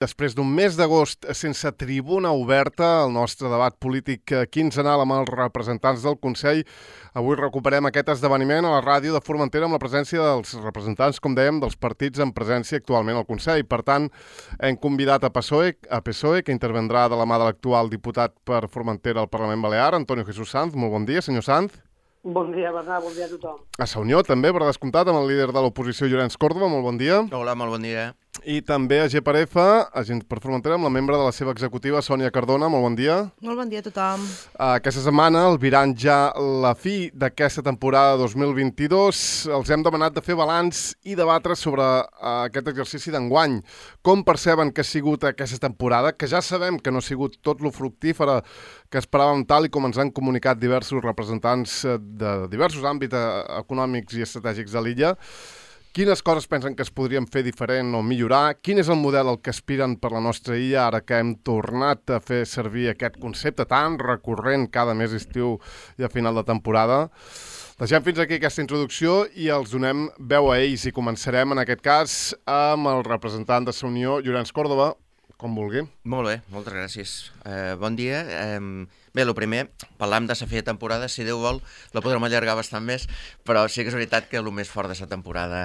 Després d'un mes d'agost sense tribuna oberta, el nostre debat polític quinzenal amb els representants del Consell, avui recuperem aquest esdeveniment a la ràdio de Formentera amb la presència dels representants, com dèiem, dels partits en presència actualment al Consell. Per tant, hem convidat a PSOE, que intervendrà de la mà de l'actual diputat per Formentera al Parlament Balear, Antonio Jesús Sanz. Molt bon dia, senyor Sanz. Bon dia, Bernat, bon dia a tothom. A Sa Unió, també, per descomptat, amb el líder de l'oposició, Llorenç Córdoba. Molt bon dia. Hola, molt bon dia. I també a GPRF, Agents per Formentera, amb la membre de la seva executiva, Sònia Cardona. Molt bon dia. Molt bon dia a tothom. Aquesta setmana, albirant ja la fi d'aquesta temporada 2022, els hem demanat de fer balanç i debatre sobre aquest exercici d'enguany. Com perceben que ha sigut aquesta temporada, que ja sabem que no ha sigut tot lo fructífera que esperàvem, tal i com ens han comunicat diversos representants de diversos àmbits econòmics i estratègics de l'illa. Quines coses pensen que es podrien fer diferent o millorar? Quin és el model al que aspiren per la nostra illa ara que hem tornat a fer servir aquest concepte tan recurrent cada mes d'estiu i a final de temporada? Deixem fins aquí aquesta introducció i els donem veu a ells i començarem en aquest cas amb el representant de Sa Unió, Llorenç Córdoba, com vulgui. Molt bé, moltes gràcies. Bon dia. Bé, el primer, parlàvem de la fi de temporada, si Déu vol, la podrem allargar bastant més, però sí que és veritat que el més fort de la temporada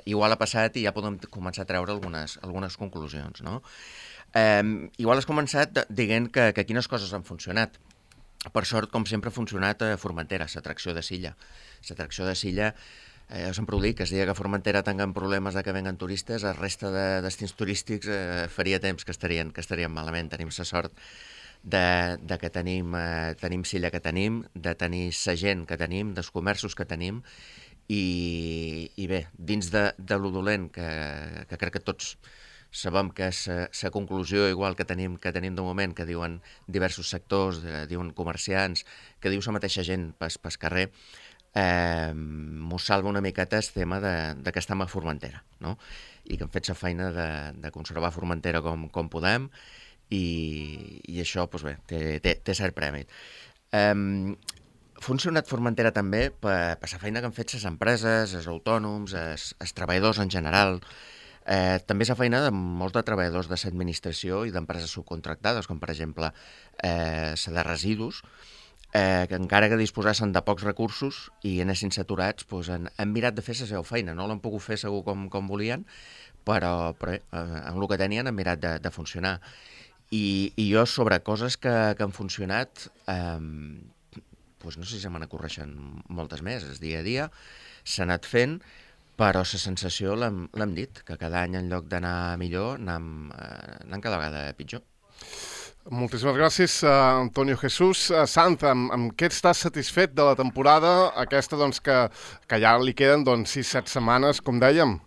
igual ha passat i ja podem començar a treure algunes conclusions, no? Igual has començat dient que quines coses han funcionat. Per sort, com sempre, ha funcionat a Formentera, l'atracció de Silla. L'atracció de Silla, sempre ho dic, es dia que a Formentera tinguem problemes de que venguen turistes, la resta de destins turístics faria temps que estarien malament. Tenim la sort de que tenim Silla que tenim, de tenir la gent que tenim, dels comerços que tenim, i bé, dins de lo dolent, que crec que tots sabem que és la conclusió igual que tenim de moment, que diuen diversos sectors, diuen comerciants, que diu la mateixa gent pel carrer, mos salva una miqueta el tema de que estem a Formentera, no? I que hem fet la feina de conservar Formentera com podem, i això, doncs bé, té cert premi. Ha funcionat Formentera també per la feina que han fet les empreses, els autònoms, els treballadors en general, també és la feina de molts de treballadors de l'administració i d'empreses subcontractades, com per exemple la de residus, que encara que disposassen de pocs recursos i anessin saturats, doncs han mirat de fer la seva feina. No l'han pogut fer segur com volien, però amb el que tenien han mirat de funcionar. I jo sobre coses que han funcionat, doncs no sé si se me n'acorreixen moltes més. El dia a dia s'ha anat fent, però la sensació l'hem dit, que cada any en lloc d'anar millor anem cada vegada pitjor. Moltíssimes gràcies, Antonio Jesús. Sanz, amb què estàs satisfet de la temporada aquesta, doncs, que ja li queden 6-7 setmanes, com dèiem?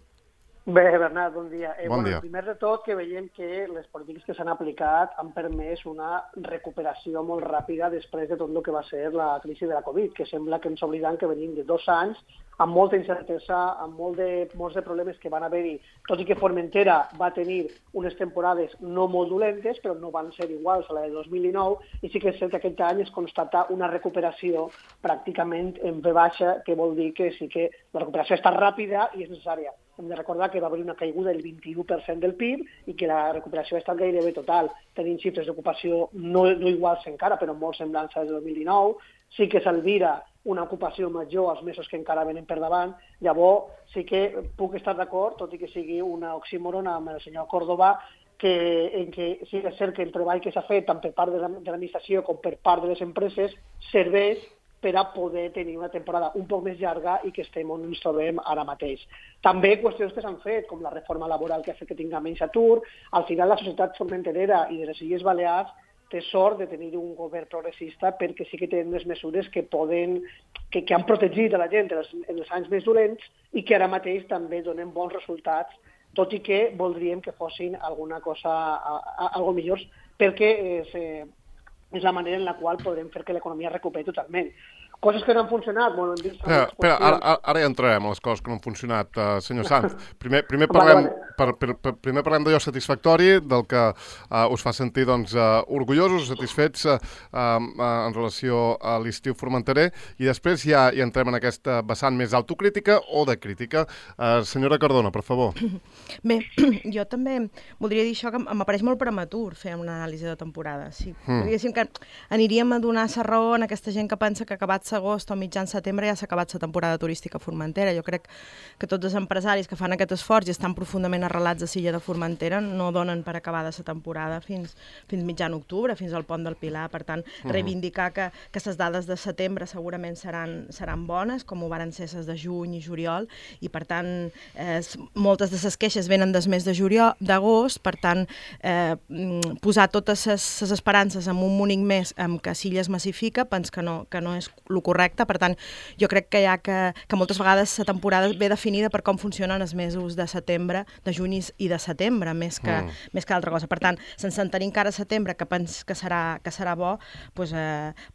Bé, Bernat, bon dia. Bon dia. Primer de tot, que veiem que les polítiques que s'han aplicat han permès una recuperació molt ràpida després de tot el que va ser la crisi de la Covid, que sembla que ens oblidem que venim de 2 anys amb molta incertesa, amb molts de problemes que van haver-hi, tot i que Formentera va tenir unes temporades no molt dolentes, però no van ser iguals a la de 2019, i sí que és cert que aquest any es constata una recuperació pràcticament en V baixa, que vol dir que sí que la recuperació està ràpida i és necessària. Hem de recordar que va haver una caiguda del 21% del PIB i que la recuperació ha estat gairebé total. Tenim xifres d'ocupació no iguals encara, però molt semblants al 2019. Sí que s'alvira una ocupació major als mesos que encara venen per davant. Llavors, sí que puc estar d'acord, tot i que sigui una oxímoron amb el senyor Córdoba, en què sí que és cert que el treball que s'ha fet tant per part de l'administració com per part de les empreses serveix per a poder tenir una temporada un poc més llarga i que estem on ens trobem ara mateix. També qüestions que s'han fet, com la reforma laboral que ha fet que tinga menys atur. Al final, la societat formenterera i de les Illes Balears té sort de tenir un govern progressista perquè sí que tenen unes mesures que han protegit a la gent en els anys més dolents i que ara mateix també donen bons resultats, tot i que voldríem que fossin alguna cosa algo millors, perquè és la manera en la qual podrem fer que l'economia recuperi totalment. Coses que no han funcionat, bueno, hem vist... Espera, ara ja entrarem a les coses que no han funcionat, senyor Sanz. Primer parlem d'allò satisfactori, del que us fa sentir orgullosos, satisfets en relació a l'estiu formenterer, i després ja entrem en aquesta vessant més autocrítica o de crítica. Senyora Cardona, per favor. Bé, jo també voldria dir això, que m'apareix molt prematur fer una anàlisi de temporada. Sí. Diguéssim que aniríem a donar-se raó en aquesta gent que pensa que acabats agost o mitjan setembre ja s'ha acabat la temporada turística a Formentera. Jo crec que tots els empresaris que fan aquest esforç i estan profundament arrelats a l'illa de Formentera no donen per acabada la temporada fins mitjan octubre, fins al pont del Pilar. Per tant, reivindicar que les dades de setembre segurament seran bones, com ho varen ser les de juny i juliol, i per tant moltes de les queixes venen des mes d'agost, per tant posar totes les esperances en un únic mes amb que l'illa es massifica, penso que no és el correcte. Per tant, jo crec que que moltes vegades la temporada ve definida per com funcionen els mesos de setembre, de juny i de setembre, més que altra cosa. Per tant, sense tenir encara setembre, que penso que serà bo, doncs,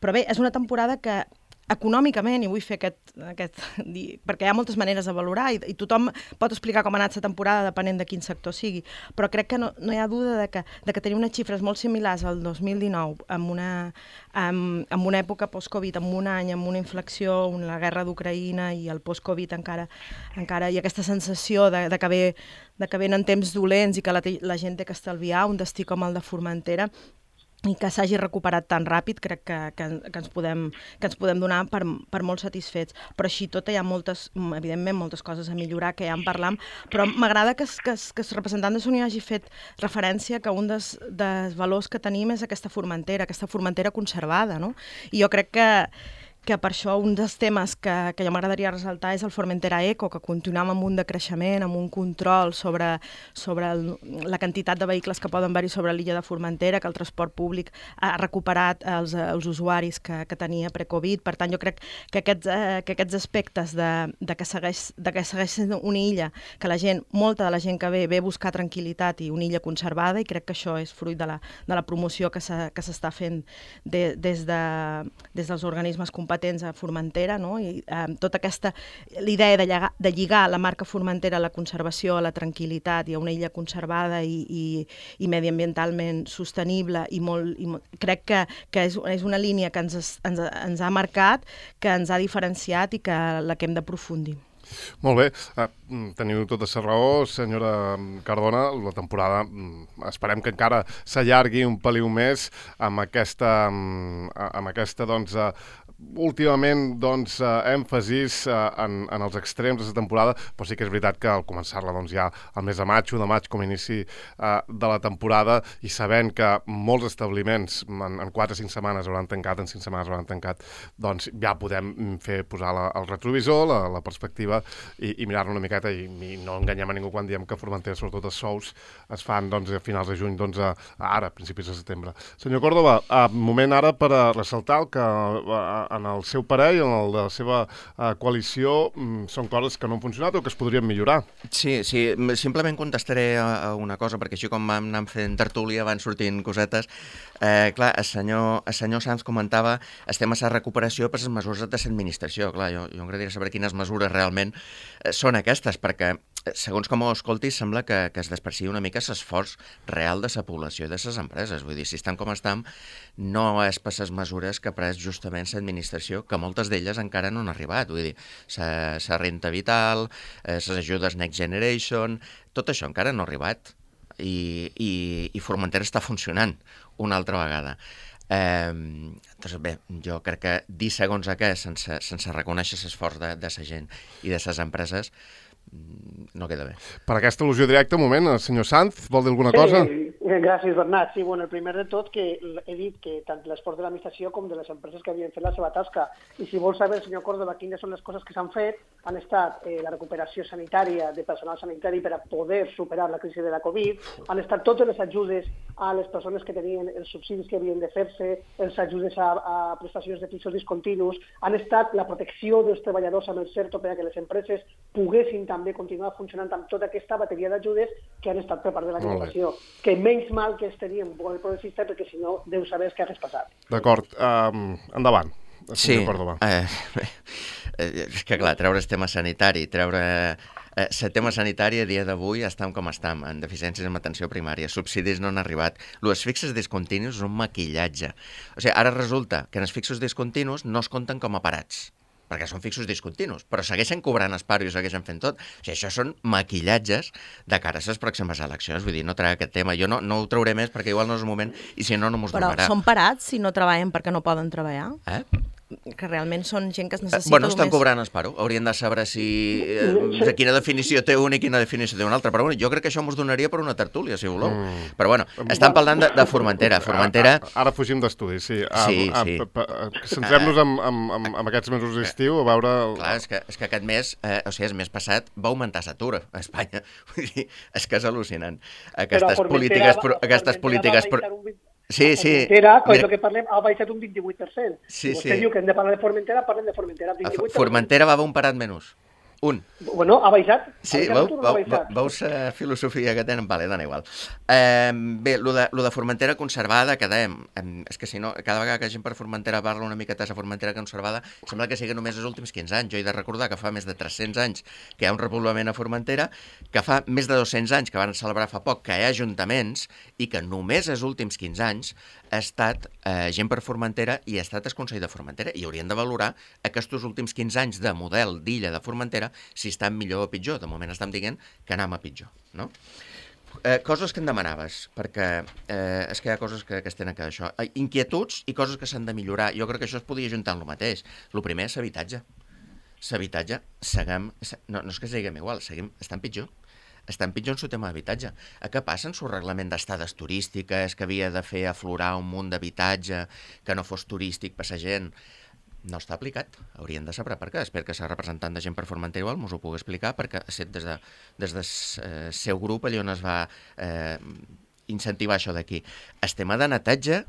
però bé, és una temporada que econòmicament, i vull fer perquè hi ha moltes maneres de valorar i tothom pot explicar com ha anat la temporada depenent de quin sector sigui, però crec que no hi ha duda de que tenir unes xifres molt similars al 2019 amb una època post-Covid, amb un any, amb una inflexió, amb la guerra d'Ucraïna i el post-Covid encara hi ha aquesta sensació de que venen temps dolents i que la gent té que estalviar un destí com el de Formentera, i que s'hagi recuperat tan ràpid, crec que ens podem donar per molt satisfets. Però així tot hi ha evidentment moltes coses a millorar, que ja en parlam, però m'agrada que el representant de Sony hagi fet referència que un dels valors que tenim és aquesta Formentera conservada, no? I jo crec que per això un dels temes que jo m'agradaria ressaltar és el Formentera Eco, que continuem amb un decreixement, amb un control sobre la quantitat de vehicles que poden haver-hi sobre l'illa de Formentera, que el transport públic ha recuperat els usuaris que tenia pre-Covid. Per tant, jo crec que aquests aspectes de que segueix sent una illa, que molta de la gent que ve a buscar tranquil·litat i una illa conservada, i crec que això és fruit de la promoció que s'està fent des dels organismes competents a Formentera, no? I tota la idea de lligar la marca Formentera a la conservació, a la tranquil·litat i a una illa conservada i mediambientalment sostenible, i crec que és una línia que ens ha marcat, que ens ha diferenciat i que la que hem d'aprofundir. Molt bé, teniu tota la raó, senyora Cardona. La temporada esperem que encara s'allargui un peliu més amb aquesta últimament èmfasis en els extrems de la temporada, però sí que és veritat que al començar-la ja al mes de maig, 1 de maig, com a inici de la temporada, i sabent que molts establiments en 4 o 5 setmanes hauran tancat, en 5 setmanes hauran tancat, doncs ja podem posar el retrovisor, la perspectiva, i mirar-lo una miqueta, i no enganyem a ningú quan diem que a Formentera, sobretot els sous, es fan a finals de juny, ara, a principis de setembre. Senyor Córdoba, moment ara per ressaltar que en el seu parer i en el de la seva coalició són coses que no han funcionat o que es podrien millorar. Sí, simplement contestaré a una cosa, perquè així com vam anar fent tertúlia van sortint cosetes. Clar, el senyor Sanz comentava el tema de la recuperació per les mesures de l'administració. Clar, jo m'agradaria saber quines mesures realment són aquestes, perquè segons com ho escoltis, sembla que es desprecia una mica l'esforç real de la població i de les empreses. Vull dir, si estan com estan, no és per les mesures que ha pres justament l'administració, que moltes d'elles encara no han arribat. Vull dir, la renta vital, les ajudes Next Generation, tot això encara no ha arribat. I Formentera està funcionant una altra vegada. Doncs bé, jo crec que dir segons què, sense reconèixer l'esforç de la gent i de les empreses, no queda bé. Per aquesta al·lusió directa, un moment, el senyor Sanz, vol dir alguna cosa? Gràcies, Bernat. Sí, bueno, el primer de tot que he dit que tant l'esforç de l'administració com de les empreses que havien fet la seva tasca. I si vol saber, senyor Córdoba, quines són les coses que s'han fet, han estat la recuperació sanitària de personal sanitari per a poder superar la crisi de la Covid, han estat totes les ajudes a les persones que tenien els subsidis que havien de fer-se, els ajudes a prestacions de fixos discontinus, han estat la protecció dels treballadors amb el CERTO per a que les empreses poguessin també continuar funcionant amb tota aquesta bateria d'ajudes que han estat per part de la Diputació. Que menys mal que es tenien un model progressista, perquè si no, deu saber què hagués passat. D'acord, endavant. senyor Córdoba. És que clar, treure el tema sanitari, treure... El tema sanitari a dia d'avui estem com estem, en deficiències en atenció primària, subsidis no han arribat. Els fixos discontinus és un maquillatge. O sigui, ara resulta que en els fixos discontinus no es compten com a parats, perquè són fixos discontinus, però segueixen cobrant el paro i segueixen fent tot. O sigui, això són maquillatges de cara a les pròximes eleccions. Vull dir, no treu aquest tema. Jo no ho trauré més perquè igual no és el moment i si no, no mos donarà. Però són parats si no treballen perquè no poden treballar? Que realment són gent que es necessita bueno, estan cobrant el paro. Haurien de saber de quina definició té un i quina definició té un altre. Però bueno, jo crec que això mos donaria per una tertúlia, si voleu. Però bueno, estan parlant de Formentera. Ara fugim d'estudis, sí. Sí. Centrem-nos en aquests mesos d'estiu, a veure... Clar, és que aquest mes, o sigui, el mes passat va augmentar l'atur a Espanya. Vull dir, és que és al·lucinant. Aquestes polítiques... Sí. Formentera, com és el que parlem, ha baixat un 28%. Sí. Vostè diu que hem de parlar de Formentera, parlem de Formentera. 28%. Formentera va un parat menys. Un. Bueno, ha baixat. Sí, veus filosofia que tenen? Vale, dona igual. Bé, lo de Formentera conservada, és que si no, cada vegada que gent per Formentera parla una miqueta de Formentera conservada, sembla que sigui només els últims 15 anys. Jo he de recordar que fa més de 300 anys que hi ha un repoblament a Formentera, que fa més de 200 anys que van celebrar fa poc que hi ha ajuntaments i que només els últims 15 anys ha estat gent per Formentera i ha estat el Consell de Formentera i haurien de valorar aquests últims 15 anys de model d'illa de Formentera si estan millor o pitjor. De moment estem dient que anem a pitjor, no? Coses que em demanaves, perquè és que hi ha coses que es tenen que això. Inquietuds i coses que s'han de millorar. Jo crec que això es podria ajuntar en el mateix. El primer és l'habitatge. L'habitatge, no és que seguim igual, estan pitjor. Estan pitjor en el tema d'habitatge. Què passa en el reglament d'estades turístiques, que havia de fer aflorar un munt d'habitatge, que no fos turístic per la gent? No està aplicat. Haurien de saber per què. Espero que la representant de gent per Formentera igual mos ho pugui explicar, perquè des del seu grup allà on es va incentivar això d'aquí. El tema de netatge,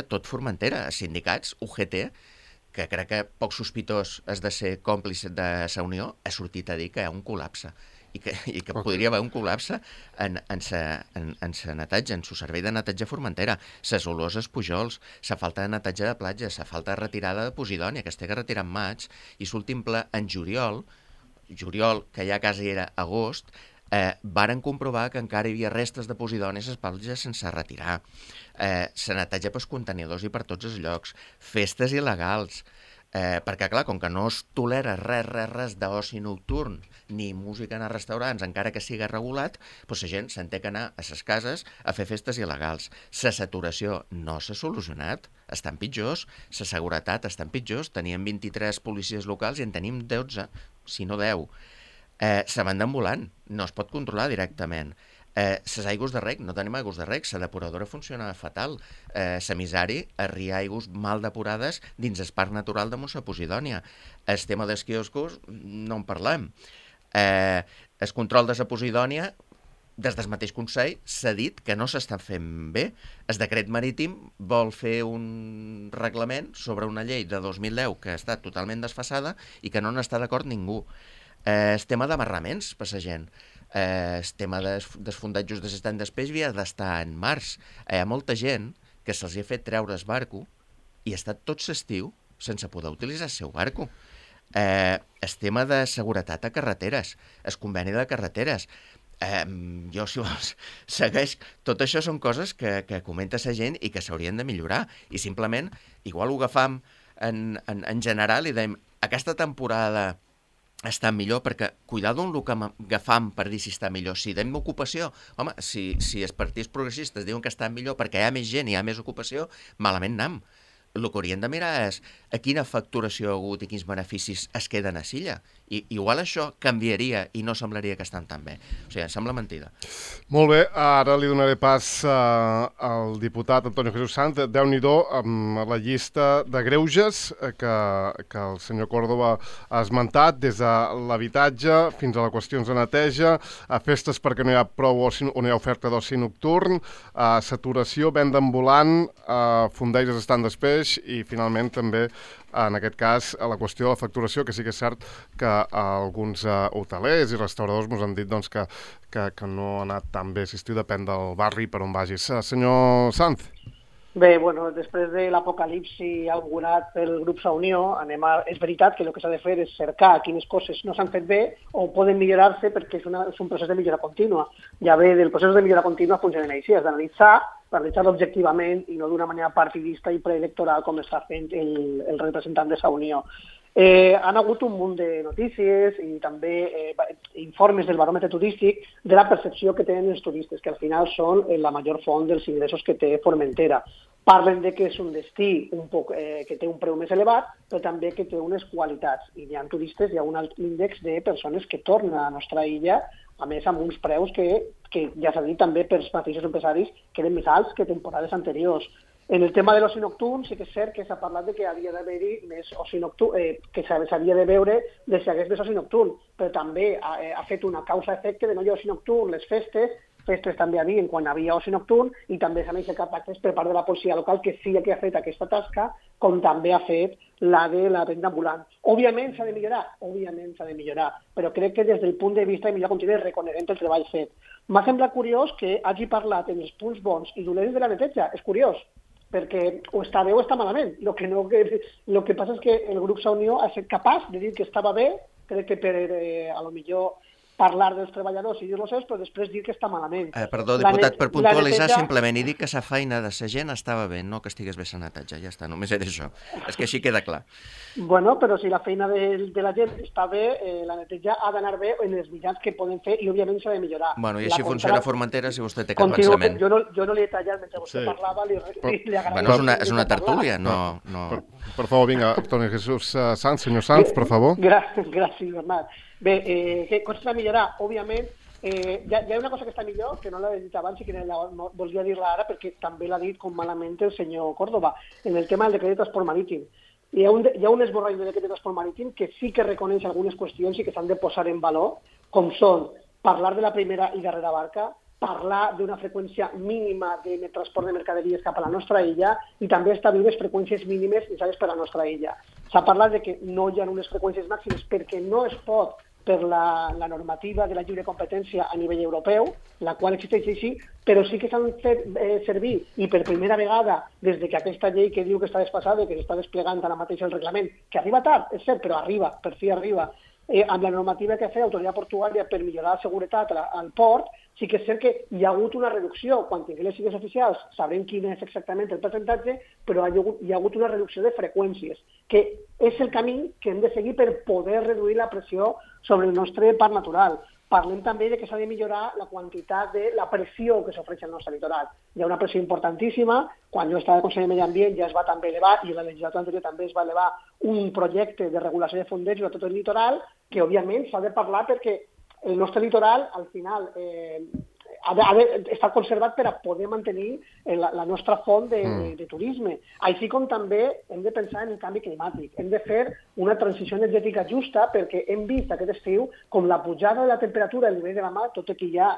tot Formentera, sindicats, UGT, que crec que poc sospitós és de ser còmplice de la Unió, ha sortit a dir que hi ha un col·lapse i que podria haver un col·lapse en el netatge, en el servei de netatge a Formentera, les olors als pujols, la falta de netatge de platja, la falta de retirada de Posidònia, que es té que retirar en maig, i l'últim ple en juliol, que ja quasi era agost, varen comprovar que encara hi havia restes de Posidònia a les platges sense retirar. Se netatja pels contenidors i per tots els llocs, festes il·legals, perquè, clar, com que no es tolera res d'oci nocturn ni música en els restaurants, encara que sigui regulat, doncs la gent se'n té que anar a les cases a fer festes il·legals. La saturació no s'ha solucionat, estan pitjors, la seguretat estan pitjors, teníem 23 policies locals i en tenim 12, si no 10. Se van ambulant, no es pot controlar directament. Les aigües de rec, no tenim aigües de rec, la depuradora funciona fatal. La misari arria aigües mal depurades dins el parc natural de Montse Posidònia. El tema dels quioscos no en parlem. El control de la Posidònia, des del mateix Consell, s'ha dit que no s'està fent bé. El decret marítim vol fer un reglament sobre una llei de 2010 que ha estat totalment desfasada i que no n'està d'acord ningú. El tema d'amarraments per la gent. El tema dels fondatges de l'estany d'espeix havia d'estar en març. Hi ha molta gent que se'ls ha fet treure el barco i ha estat tot l'estiu sense poder utilitzar el seu barco. El tema de seguretat a carreteres, el conveni de carreteres. Jo, si vols, segueix. Tot això són coses que comenta la gent i que s'haurien de millorar. I simplement, igual ho agafam en general i dèiem, aquesta temporada està millor, perquè cuidado amb el que agafam per dir si està millor. Si deim ocupació, home, si els partits progressistes diuen que està millor perquè hi ha més gent i hi ha més ocupació, malament anem. El que haurien de mirar és a quina facturació ha hagut i quins beneficis es queden a Silla. I igual això canviaria i no semblaria que estan tan bé. O sigui, em sembla mentida. Molt bé, ara li donaré pas al diputat Antonio Jesús Sanz. Déu-n'hi-do amb la llista de greuges que el senyor Córdoba ha esmentat, des de l'habitatge fins a les qüestions de neteja, a festes perquè no hi ha prou oci, o no hi ha oferta d'oci nocturn, saturació, venda ambulant, fondells estan d'espeix i finalment també en aquest cas, a la qüestió de la facturació, que sí que és cert que alguns hotelers i restauradors ens han dit doncs, que no ha anat tan bé. Si estiu depèn del barri per on vagis. Senyor Sanz. Bé, bueno, després de l'apocalipsi augurat pel grup Sa Unió, és veritat que el que s'ha de fer és cercar quines coses no s'han fet bé o poden millorar-se perquè és un procés de millora contínua. Ja ve del procés de millora contínua funcionen així, has d'analitzar-lo objectivament i no d'una manera partidista i preelectoral com està fent el representant de Sa Unió. Han hagut un munt de notícies i també informes del baròmetre turístic de la percepció que tenen els turistes, que al final són la major font dels ingressos que té Formentera. Parlen de que és un destí que té un preu més elevat, però també que té unes qualitats. I hi ha turistes, hi ha un alt índex de persones que tornen a la nostra illa, a més amb uns preus que ja s'ha dit també pels mateixos empresaris que eren més alts que temporades anteriors. En el tema de l'oci nocturn sí que és cert que s'ha parlat de que havia d'haver-hi més oci nocturn, que s'havia de veure de si hagués més oci nocturn, però també ha fet una causa-efecte de no hi ha oci nocturn, les festes també hi havia quan havia oci nocturn i també s'han aixecat actes per part de la policia local que sí que ha fet aquesta tasca, com també ha fet la de la venda ambulant. Òbviament s'ha de millorar, però crec que des del punt de vista de millor continua reconeguent el treball fet. M'ha semblat curiós que hagi parlat en els punts bons i dolents de la neteja, és curiós, perquè o està bé o està malament. El que passa és que el grup Sa Unió ha estat capaç de dir que estava bé, crec que per a lo millor parlar dels treballadors i dir-los seus, però després dir que està malament. Perdó, diputat, per puntualitzar simplement i dir que la feina de la gent estava bé, no que estigués bé la neteja, ja està, només era això. És que així queda clar. Bueno, però si la feina de la gent està bé, la neteja ha d'anar bé en els mitjans que poden fer i òbviament s'ha de millorar. Bueno, i així funciona Formentera si vostè té cap pensament. Jo no li he tallat mentre vostè parlava, li agraeixo. Bueno, és una tertúlia, no... Per favor, vinga, Toni Jesús Sanz, senyor Sanz, per favor. Gràcies, Bernat. Bé, què coses a millorar? Òbviament, hi ha una cosa que està millor, que no l'he dit abans i que volia dir-la ara perquè també l'ha dit com malament el senyor Córdoba, en el tema del decret de transport marítim. Hi ha un esborrany del decret de transport marítim que sí que reconeix algunes qüestions i que s'han de posar en valor, com són parlar de la primera i darrera barca, parlar d'una freqüència mínima de transport de mercaderies cap a la nostra illa i també establir les freqüències mínimes necessàries per a la nostra illa. S'ha parlat de que no hi ha unes freqüències màximes perquè no es pot per la normativa de la lliure competència a nivell europeu, la qual existeix així, però sí que s'han fet servir, i per primera vegada, des que aquesta llei que diu que està desfasada, que s'està desplegant ara mateix el reglament, que arriba tard, és cert, però arriba, per fi arriba, amb la normativa que ha fet l'autoritat portuària per millorar la seguretat al port, sí que és cert que hi ha hagut una reducció. Quan tinguem les sigles oficials sabrem quin és exactament el percentatge, però hi ha hagut una reducció de freqüències, que és el camí que hem de seguir per poder reduir la pressió sobre el nostre parc natural. Parlem també de que s'ha de millorar la quantitat de la pressió que s'ofereix al nostre litoral. Hi ha una pressió importantíssima. Quan jo estava al Consell de Medi Ambient ja es va també elevar, i la legislatura anterior també es va elevar un projecte de regulació de fondejos a tot el litoral, que òbviament s'ha de parlar perquè el nostre litoral, al final, ha d'estar conservat per a poder mantenir la nostra font de turisme. Així com també hem de pensar en el canvi climàtic. Hem de fer una transició energètica justa perquè hem vist aquest estiu com la pujada de la temperatura al nivell de la mar, tot i que hi ha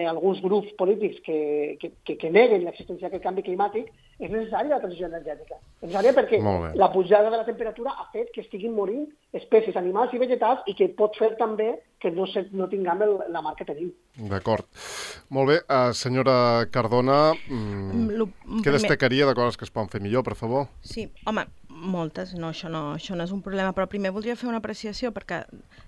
alguns grups polítics que neguen l'existència d'aquest canvi climàtic, és necessària la transició energètica. És necessària perquè la pujada de la temperatura ha fet que estiguin morint espècies animals i vegetals i que pot fer també que no tinguem la mar que tenim. D'acord. Molt bé. Senyora Cardona, què destacaria de coses que es poden fer millor, per favor? Sí, home, moltes, això no és un problema, però primer voldria fer una apreciació perquè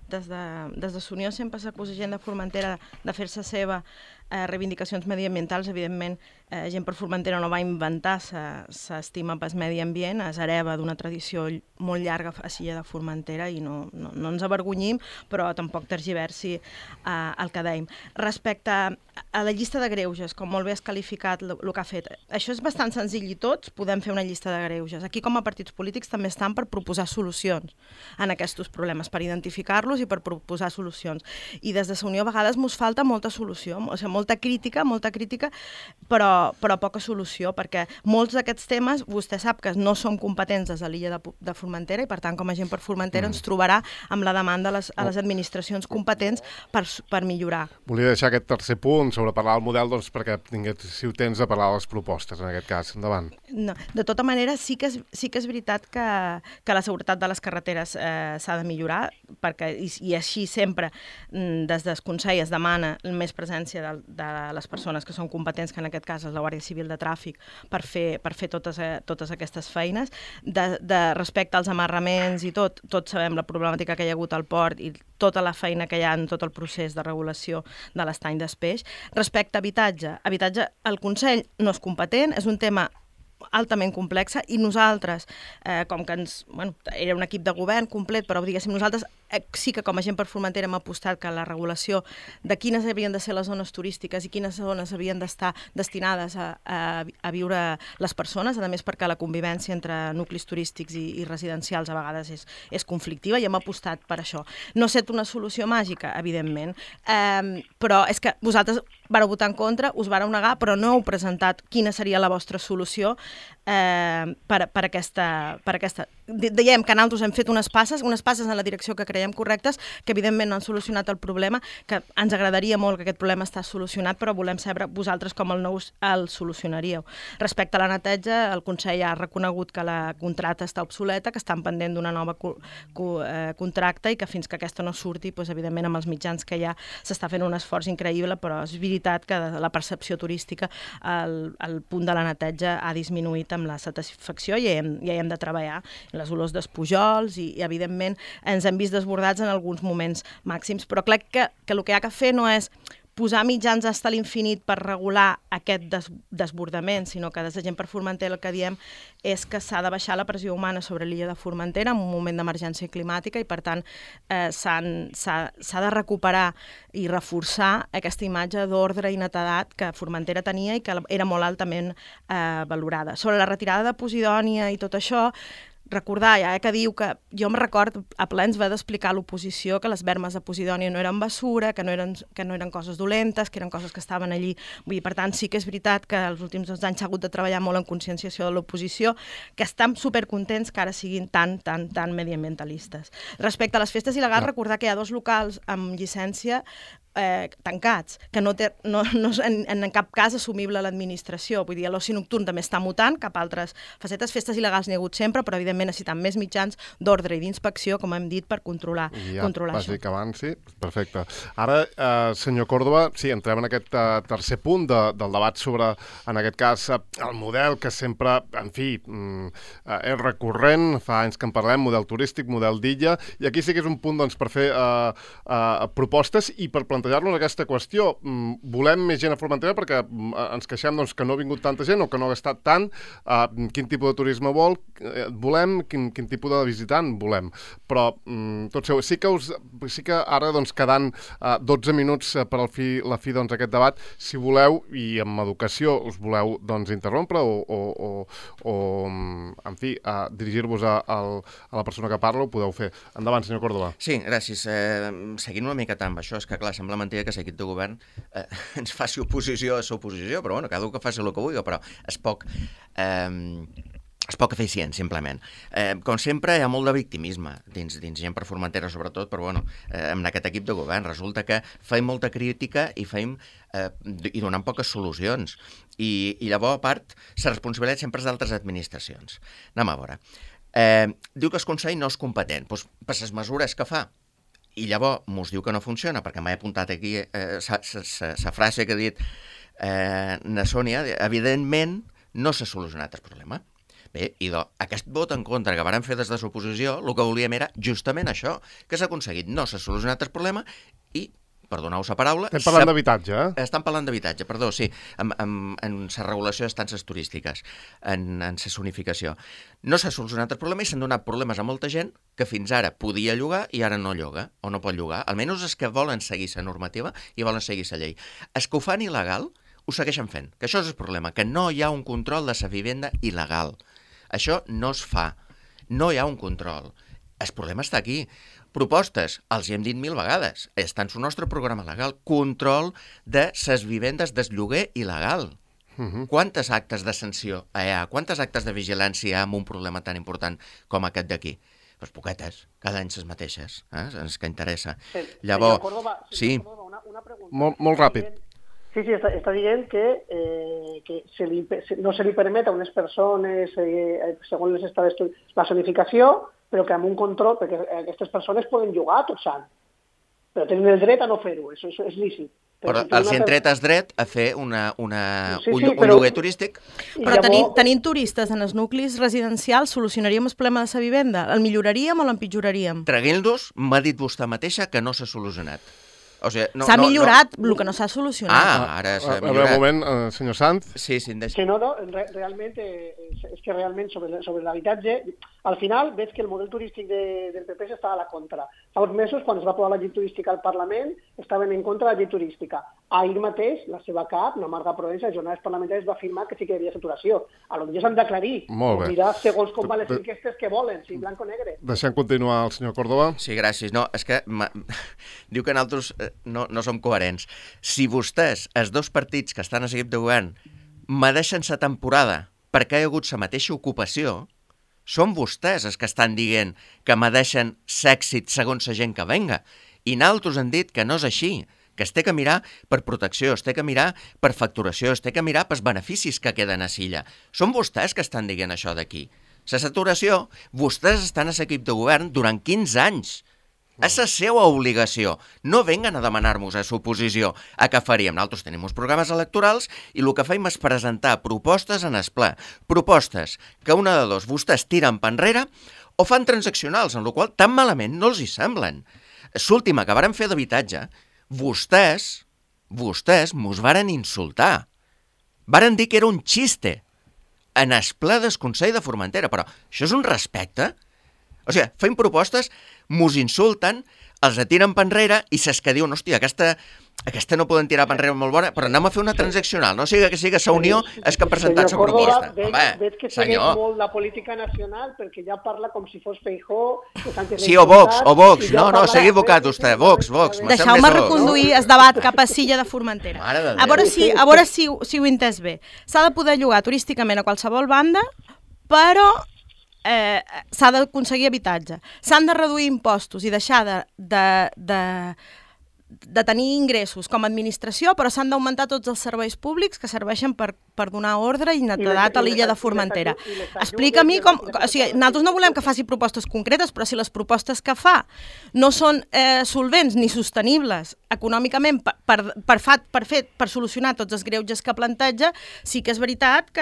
des de Sa Unió sempre s'acusa gent de Formentera de fer-se seva reivindicacions mediambientals. Evidentment, gent per Formentera no va inventar s'estima pel medi ambient, es hereva d'una tradició molt llarga a l'illa de Formentera i no ens avergonyim, però tampoc tergiversi el que dèiem. Respecte a la llista de greuges, com molt bé has qualificat el que ha fet, això és bastant senzill i tots podem fer una llista de greuges. Aquí, com a partits polítics, també estan per proposar solucions en aquests problemes, per identificar-los i per proposar solucions. I des de Sa Unió a vegades ens falta molta solució, o sigui, molta crítica, però poca solució, perquè molts d'aquests temes vostè sap que no som competents des de l'illa de Formentera i, per tant, com a gent per Formentera ens trobarà amb la demanda a les administracions competents per millorar. Volia deixar aquest tercer punt sobre parlar del model perquè tinguéssiu temps de parlar de les propostes, en aquest cas. Endavant. No, de tota manera, sí que és veritat que la seguretat de les carreteres s'ha de millorar, perquè i així sempre des del Consell es demana més presència de les persones que són competents, que en aquest cas és la Guàrdia Civil de Tràfic, per fer totes aquestes feines. Respecte als amarraments i tots sabem la problemàtica que hi ha hagut al port i tota la feina que hi ha en tot el procés de regulació de l'estany d'Espeix. Respecte a habitatge, el Consell no és competent, és un tema altament complexa i nosaltres, com que era un equip de govern complet, però diguéssim nosaltres sí que com a gent per Formentera hem apostat que la regulació de quines havien de ser les zones turístiques i quines zones havien d'estar destinades a viure les persones, a més perquè la convivència entre nuclis turístics i residencials a vegades és conflictiva i hem apostat per això. No ha estat una solució màgica, evidentment, però és que vosaltres vareu votar en contra, us vareu negar, però no heu presentat quina seria la vostra solució per aquesta... Diem que nosaltres hem fet unes passes en la direcció que creiem correctes, que evidentment no han solucionat el problema, que ens agradaria molt que aquest problema està solucionat, però volem saber vosaltres com el solucionaríeu. Respecte a la neteja, el Consell ha reconegut que la contracta està obsoleta, que estan pendent d'una nova contracta i que fins que aquesta no surti, evidentment amb els mitjans que hi ha s'està fent un esforç increïble, però és veritat que la percepció turística el punt de la neteja ha disminuït amb la satisfacció i hi hem de treballar. Les olors d'espujols i evidentment ens hem vist desbordats en alguns moments màxims, però crec que el que hi ha que fer no és posar mitjans fins a l'infinit per regular aquest desbordament, sinó que des de Gent per Formentera el que diem és que s'ha de baixar la pressió humana sobre l'illa de Formentera en un moment d'emergència climàtica i, per tant, s'ha de recuperar i reforçar aquesta imatge d'ordre i netedat que Formentera tenia i que era molt altament valorada. Sobre la retirada de Posidònia i tot això, recordar, que diu que jo em record a ple ens va d'explicar a l'oposició que les bermes de Posidònia no eren bessura, que no eren coses dolentes, que eren coses que estaven allí. Vull dir, per tant, sí que és veritat que els últims 2 anys s'ha hagut de treballar molt en conscienciació de l'oposició, que estan supercontents que ara siguin tan mediambientalistes. Respecte a les festes il·legals, recordar que hi ha 2 locals amb llicència tancats, que no és en cap cas assumible l'administració. Vull dir, l'oci nocturn també està mutant cap a altres facetes. Festes il·legals n'hi ha hagut sempre, però evidentment necessitem més mitjans d'ordre i d'inspecció, com hem dit, per controlar això. Dir que avanci, perfecte. Ara, senyor Córdoba, sí, entrem en aquest tercer punt del debat sobre, en aquest cas, el model que sempre, en fi, és recurrent, fa anys que en parlem, model turístic, model d'illa, i aquí sí que és un punt per fer propostes i per plantejar-nos aquesta qüestió. Volem més gent a Formentera perquè ens queixem que no ha vingut tanta gent o que no ha gastat tant. Quin tipus de turisme volem, quin tipus de visitant volem. Però tot seu, sí que ara quedant 12 minuts per la fi aquest debat, si voleu, i amb educació us voleu interrompre o en fi, dirigir-vos a la persona que parla, ho podeu fer. Endavant, senyor Córdoba. Sí, gràcies. Seguint una mica amb això, és que clar, sembla mentida que l'equip de govern ens faci oposició a l'oposició, però bueno, cada un que faci el que vulgui, però és poc eficient, simplement. Com sempre, hi ha molt de victimisme dins Gent per Formentera, sobretot, però bueno, en aquest equip de govern resulta que feim molta crítica i donem poques solucions. I llavors, a part, la responsabilitat sempre és d'altres administracions. Anem a veure. Diu que el Consell no és competent, doncs per les mesures que fa. I llavors mos diu que no funciona, perquè m'he apuntat aquí la frase que ha dit na Sònia, evidentment no s'ha solucionat el problema. Bé, i aquest vot en contra que vàrem fer des de l'oposició, el que volíem era justament això, que s'ha aconseguit, no s'ha solucionat el problema i, perdoneu la paraula... Estem parlant d'habitatge, eh? Estan parlant d'habitatge, perdó, sí, en la regulació d'estances turístiques, en la zonificació. No s'ha solucionat el problema i s'han donat problemes a molta gent que fins ara podia llogar i ara no lloga, o no pot llogar. Almenys els que volen seguir la normativa i volen seguir la llei. Els que ho fan il·legal ho segueixen fent, que això és el problema, que no hi ha un control de la vivenda il·legal. Això no es fa, no hi ha un control. El problema està aquí. Propostes, els hi hem dit 1000 vegades, està en el nostre programa legal, control de les vivendes del lloguer il·legal. Quantes actes de sanció hi ha? Quantes actes de vigilància hi ha amb un problema tan important com aquest d'aquí? Doncs poquetes, cada any les mateixes, és que interessa. Llavors, sí. Molt ràpid. Sí, està dient que no se li permet a unes persones, segons les estades, la zonificació, però que amb un control, perquè aquestes persones poden jugar tot sant, però tenen el dret a no fer-ho, això és lícit. Però els hi han tret el dret a fer un però... lloguer turístic. Però tenint turistes en els nuclis residencials, solucionaríem el problema de la vivenda? El milloraríem o l'empitjoraríem? Traguent-los, m'ha dit vostè mateixa que no s'ha solucionat. O sigui, s'ha millorat, el que no s'ha solucionat. Ara s'ha millorat. A veure, un moment, senyor Sanz. Sí, que no, realment, és que realment sobre l'habitatge, al final veig que el model turístic del PP està a la contra. Fa uns mesos, quan es va aprovar la llei turística al Parlament, estaven en contra de la llei turística. Ahir mateix, la seva cap, la Marga Provença, a jornades parlamentàries, va afirmar que sí que hi havia saturació. Potser s'han d'aclarir. Mirar segons com van les enquestes que volen, si blanc o negre. Deixem continuar el senyor Córdoba. Sí, gràcies. No, és que diu que nosaltres no som coherents. Si vostès, els dos partits que estan a l'equip de govern, medeixen la temporada perquè hi ha hagut la mateixa ocupació, són vostès els que estan dient que medeixen l'èxit segons la gent que venga. I nosaltres han dit que no és així, que es té que mirar per protecció, es té que mirar per facturació, es té que mirar pels beneficis que queden a Silla. Són vostès que estan dient això d'aquí. La saturació, vostès estan a l'equip de govern durant 15 anys. És la seva obligació. No venguen a demanar-nos a l'oposició a què faríem. Nosaltres tenim uns programes electorals i el que fem és presentar propostes en el ple. Propostes que una de dos vostès tiren per enrere o fan transaccionals, en la qual tan malament no els hi semblen. L'última que varen fer d'habitatge, vostès mos varen insultar. Varen dir que era un xiste en el ple del Consell de Formentera, però això és un respecte? O sigui, fem propostes, mos insulten, els tiren per enrere i saps que diuen, hòstia, aquesta no poden tirar per enrere molt bona, però anem a fer una transaccional, no sigui que la Unió és que ha presentat la proposta. Veig que segueix molt la política nacional perquè ja parla com si fos Feijóo. Sí, o Vox, no, s'ha equivocat vostè, Vox. Deixeu-me reconduir el debat cap a Silla de Formentera. A veure si ho he entès bé. S'ha de poder llogar turísticament a qualsevol banda, però s'ha d'aconseguir habitatge. S'han de reduir impostos i deixar de tenir ingressos com a administració, però s'han d'augmentar tots els serveis públics que serveixen per donar ordre i netedat a l'illa de Formentera. Explica-m'hi com... O sigui, nosaltres no volem que faci propostes concretes, però si les propostes que fa no són solvents ni sostenibles econòmicament per solucionar tots els greuges que planteja, sí que és veritat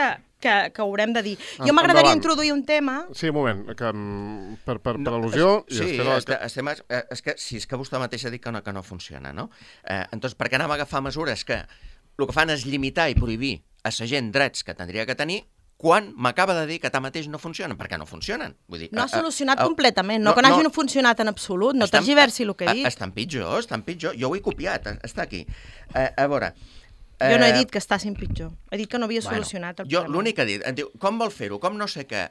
que haurem de dir. Jo m'agradaria introduir un tema... Sí, un moment, per al·lusió... Sí, és que vostè mateix ha dit que no funciona, no? Entonces, per què anem a agafar mesures que el que fan és limitar i prohibir a la gent drets que tindria que tenir quan m'acaba de dir que tanmateix no funcionen? Perquè no funcionen. Vull dir, no ha solucionat completament, no que no hagi funcionat en absolut, no tergiversi el que he dit. Estan pitjor, jo ho he copiat, està aquí. A veure... Jo no he dit que estàssim pitjor. He dit que no havia solucionat el problema. Jo l'únic que he dit, em diu, com vol fer-ho, com no sé què...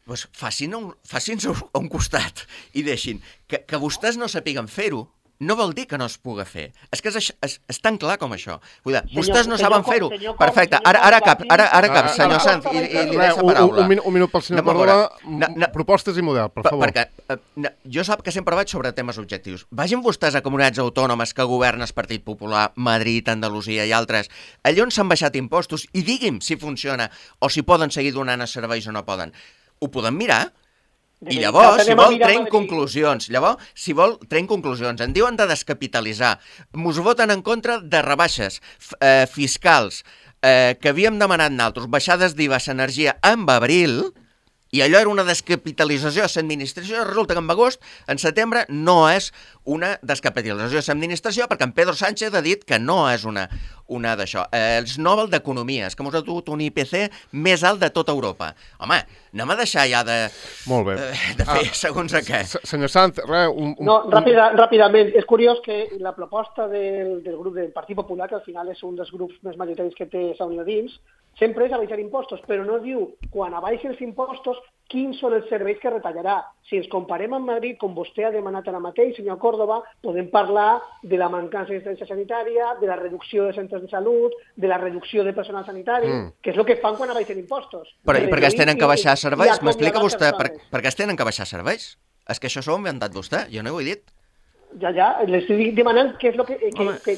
Doncs facin-se a un costat i deixin. Que vostès no sapiguen fer-ho no vol dir que no es pugui fer. És que és tan clar com això. Vull dir, vostès no saben fer-ho. Perfecte, ara cap, senyor Sanz, i li deixa paraula. Un minut pel senyor Córdoba. Propostes i model, per favor. Perquè jo sap que sempre vaig sobre temes objectius. Vagin vostès a comunitats autònomes que governa el Partit Popular, Madrid, Andalusia i altres, allà on s'han baixat impostos, i digui'm si funciona o si poden seguir donant els serveis o no poden. Ho podem mirar? I llavors, si vol, traiem conclusions. En diuen de descapitalitzar. Mos voten en contra de rebaixes fiscals que havíem demanat nosaltres, baixades d'IVA a l'energia en abril, i allò era una descapitalització de l'administració. Resulta que en agost, en setembre, no és una descapitalització de l'administració perquè en Pedro Sánchez ha dit que no és una d'això. Els Nobel d'Economia, és que ens ha dut un IPC més alt de tota Europa. Home, anem a deixar ja de fer segons a què. Senyor Sanz, No, ràpidament. És curiós que la proposta del grup del Partit Popular, que al final és un dels grups més majoritaris que té la Unió dins, sempre és abaixar impostos, però no diu, quan abaixi els impostos, quins són els serveis que retallarà. Si ens comparem amb Madrid, com vostè ha demanat ara mateix, senyor Córdoba, podem parlar de la mancança d'assistència sanitària, de la reducció de centres de salut, de la reducció de personal sanitari, que és el que fan quan abaixen impostos. Però i per què es tenen que baixar serveis? M'explica vostè per què es tenen que baixar serveis? És que això s'ho ha inventat vostè, jo no ho he dit. Ja, les estic demanant què és el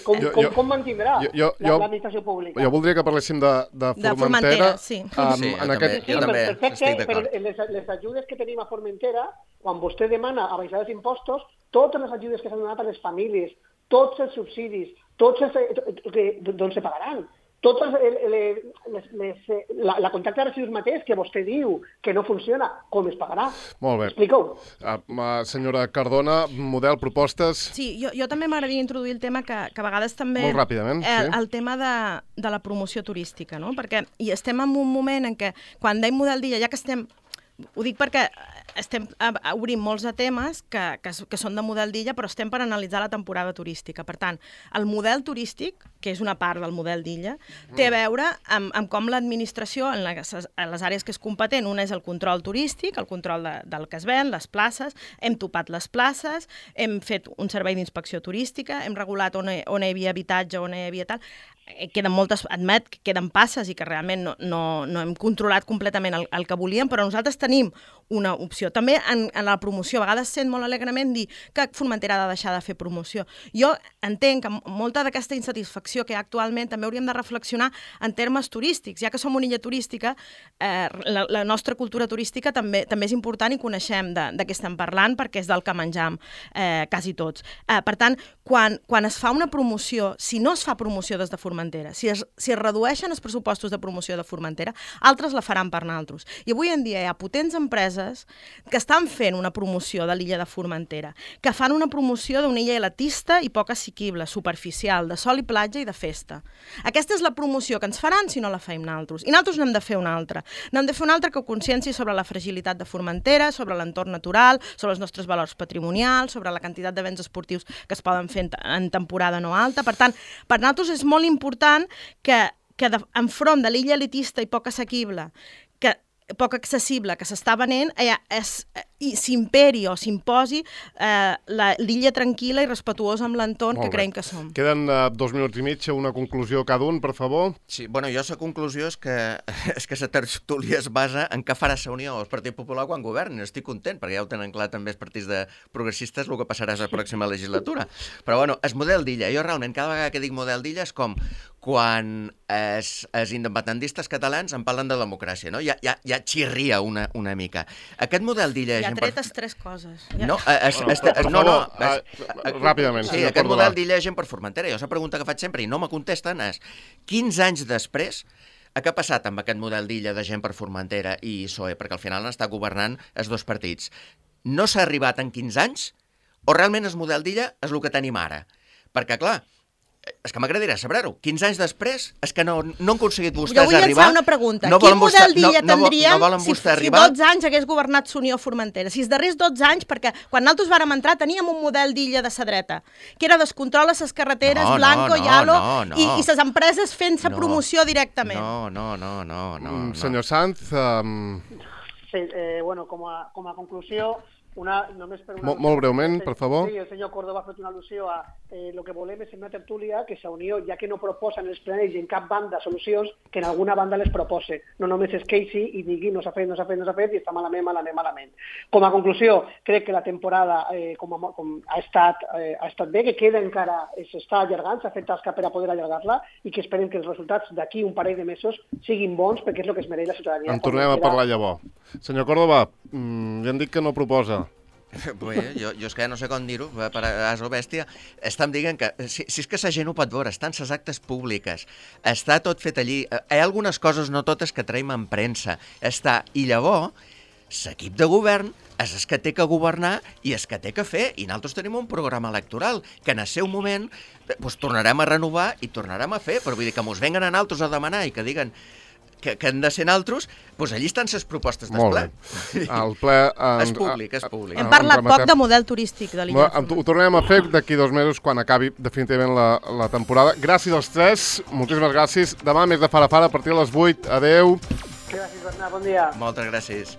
com mantindrà l'administració pública. Jo voldria que parléssim de Formentera. Sí. Perfecte, però les ajudes que tenim a Formentera, quan vostè demana abaixar els impostos, totes les ajudes que s'han donat a les famílies, tots els subsidis, d'on se pagaran. Totes la contracte de residus mateix que vostè diu que no funciona, com es pagarà? Molt bé. Explica-ho. Senyora Cardona, model, propostes... Sí, jo també m'agradaria introduir el tema que a vegades també... Molt ràpidament, sí. El tema de la promoció turística, no? Perquè estem en un moment en què, quan dèiem model d'illa, ja que estem... Ho dic perquè estem obrint molts de temes que són de model d'illa, però estem per analitzar la temporada turística. Per tant, el model turístic, que és una part del model d'illa, té a veure amb com l'administració, en les àrees que és competent, una és el control turístic, el control del que es ven, les places, hem topat les places, hem fet un servei d'inspecció turística, hem regulat on hi havia habitatge, on hi havia tal... Queden moltes, admet que queden passes i que realment no hem controlat completament el que volíem, però nosaltres tenim una opció. També en la promoció, a vegades sent molt alegrement dir que Formentera ha de deixar de fer promoció. Jo entenc que molta d'aquesta insatisfacció que hi ha actualment també hauríem de reflexionar en termes turístics. Ja que som una illa turística, la nostra cultura turística també és important i coneixem de què estem parlant perquè és del que menjam quasi tots. Per tant, quan es fa una promoció, si no es fa promoció des de Formentera, si es redueixen els pressupostos de promoció de Formentera, altres la faran per nosaltres. I avui en dia hi ha potents empreses que estan fent una promoció de l'illa de Formentera, que fan una promoció d'una illa elitista i poc assequible, superficial, de sol i platja i de festa. Aquesta és la promoció que ens faran si no la fem nosaltres. I nosaltres n'hem de fer una altra. N'hem de fer una altra que consciència sobre la fragilitat de Formentera, sobre l'entorn natural, sobre els nostres valors patrimonials, sobre la quantitat de béns esportius que es poden fer en temporada no alta. Per tant, per nosaltres és molt important que enfront de l'illa elitista i poc assequible, poc accessible que s'està venent, s'imperi o s'imposi l'illa tranquil·la i respectuosa amb l'entorn que creiem que som. Queden 2 minuts i mig, una conclusió cada un, per favor. Sí, bueno, jo la conclusió és que la tertúlia es basa en què farà la Unió o el Partit Popular quan governi. Estic content, perquè ja ho tenen clar també els partits de progressistes el que passarà a la pròxima legislatura. Però bueno, el model d'illa, jo realment cada vegada que dic model d'illa és com quan els independentistes catalans en parlen de democràcia, no? Ja xirria una mica. Aquest model d'illa... Ja tretes 3 coses. No, ràpidament. Sí, aquest model d'illa gent per Formentera. Jo la pregunta que faig sempre i no me contesten és 15 anys després, què ha passat amb aquest model d'illa de gent per Formentera i PSOE? Perquè al final han estat governant els dos partits. No s'ha arribat en 15 anys o realment el model d'illa és el que tenim ara? Perquè, clar, és que m'agradaria saber-ho. 15 anys després, és que no han aconseguit vostès arribar... Jo vull llançar una pregunta. Quin model d'illa tindríem si 12 anys hagués governat l'Unió Formentera? Si els darrers 12 anys, perquè quan nosaltres vàrem entrar teníem un model d'illa de la dreta, que era descontrol a les carreteres, Blanco, Yalo, i les empreses fent-se promoció directament. No. Senyor Sanz... Sí, bueno, com a conclusió... Molt breument, per favor. Sí, el senyor Córdoba ha fet una al·lusió a el que volem és una tertúlia que la Unió, ja que no proposa en els plenaris en cap banda solucions, que en alguna banda les propose. No només es queixi i digui no s'ha fet i està malament. Com a conclusió, crec que la temporada ha estat bé, que queda encara, s'està allargant, s'ha fet tasca per a poder allargar-la i que esperem que els resultats d'aquí un parell de mesos siguin bons perquè és el que es mereix la ciutadania. En tornem a parlar llavors. Senyor Córdoba, ja hem dit que no proposa. Bé, jo és que ja no sé com dir-ho, per as o bèstia. Estem dient que, si és que la gent ho pot veure, estan les actes públiques, està tot fet allí, hi ha algunes coses, no totes, que traiem en premsa, i llavors, l'equip de govern és el que té que governar i és que té que fer, i nosaltres tenim un programa electoral que en el seu moment tornarem a renovar i tornarem a fer, però vull dir que mos venguen a nosaltres a demanar i que diguen que han de ser naltros, doncs allí estan les propostes del ple. El ple... És públic. Hem parlat poc de model turístic de l'illa. Ho tornem a fer d'aquí 2 mesos quan acabi definitivament la temporada. Gràcies als 3, moltíssimes gràcies. Demà més de Fara a partir de les 8. Adeu. Gràcies, Bernat, bon dia. Moltes gràcies.